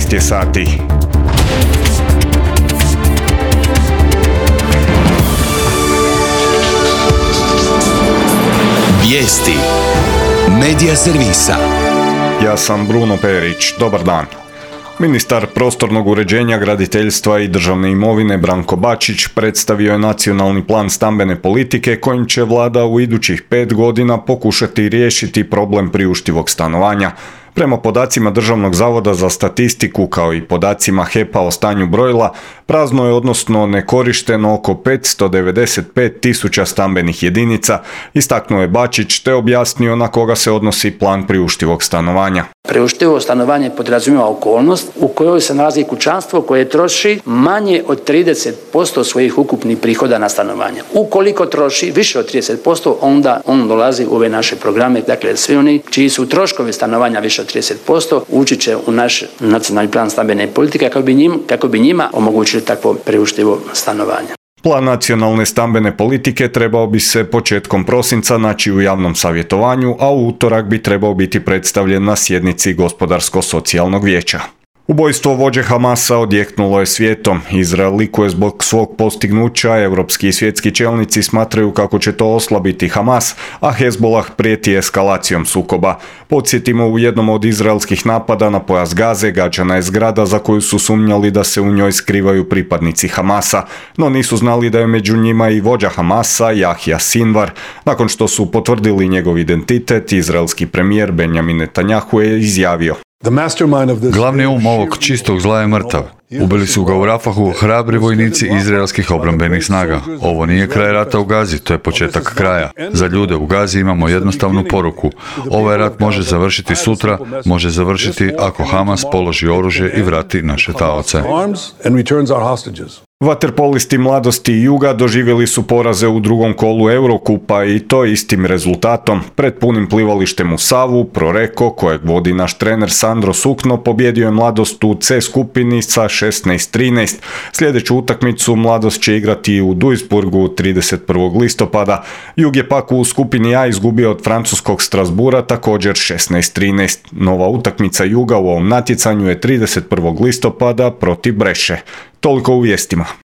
13 je sati. Vijesti Medija servisa. Ja sam Bruno Perić. Dobar dan. Ministar prostornog uređenja, graditeljstva i državne imovine Branko Bačić predstavio je nacionalni plan stambene politike kojim će vlada u idućih 5 godina pokušati riješiti problem priuštivog stanovanja. Prema podacima Državnog zavoda za statistiku kao i podacima HEP-a o stanju brojila, prazno je odnosno nekorišteno oko 595 tisuća stambenih jedinica, istaknuo je Bačić te objasnio na koga se odnosi plan priuštivog stanovanja. Priuštivo stanovanje podrazumijeva okolnost u kojoj se nalazi kućanstvo koje troši manje od 30% svojih ukupnih prihoda na stanovanje. Ukoliko troši više od 30%, onda on dolazi u ove naše programe. Dakle, svi oni čiji su troškovi stanovanja više od 30% ući će u naš nacionalni plan stambene politike kako bi njima omogućili takvo priuštivo stanovanje. Plan nacionalne stambene politike trebao bi se početkom prosinca naći u javnom savjetovanju, a u utorak bi trebao biti predstavljen na sjednici Gospodarsko-socijalnog vijeća. Ubojstvo vođe Hamasa odjeknulo je svijetom. Izrael likuje zbog svog postignuća, europski i svjetski čelnici smatraju kako će to oslabiti Hamas, a Hezbollah prijeti eskalacijom sukoba. Podsjetimo, u jednom od izraelskih napada na pojas Gaze gađana je zgrada za koju su sumnjali da se u njoj skrivaju pripadnici Hamasa, no nisu znali da je među njima i vođa Hamasa, Jahja Sinvar. Nakon što su potvrdili njegov identitet, izraelski premijer Benjamin Netanjahu je izjavio: Glavni ovog čistog zla je mrtav. Ubili su ga u Rafahu hrabri vojnici izraelskih obrambenih snaga. Ovo nije kraj rata u Gazi, to je početak kraja. Za ljude u Gazi imamo jednostavnu poruku. Ovaj rat može završiti sutra, može završiti ako Hamas položi oružje i vrati naše taoce. Vaterpolisti Mladosti i Juga doživjeli su poraze u drugom kolu Eurokupa i to istim rezultatom. Pred punim plivalištem u Savu, Proreko, kojeg vodi naš trener Sandro Sukno, pobjedio je Mladost u C skupini sa 16-13. Sljedeću utakmicu Mladost će igrati u Duisburgu 31. listopada. Jug je pak u skupini A izgubio od francuskog Strasbura također 16-13. Nova utakmica Juga u ovom natjecanju je 31. listopada protiv Breše. Toliko u vijestima.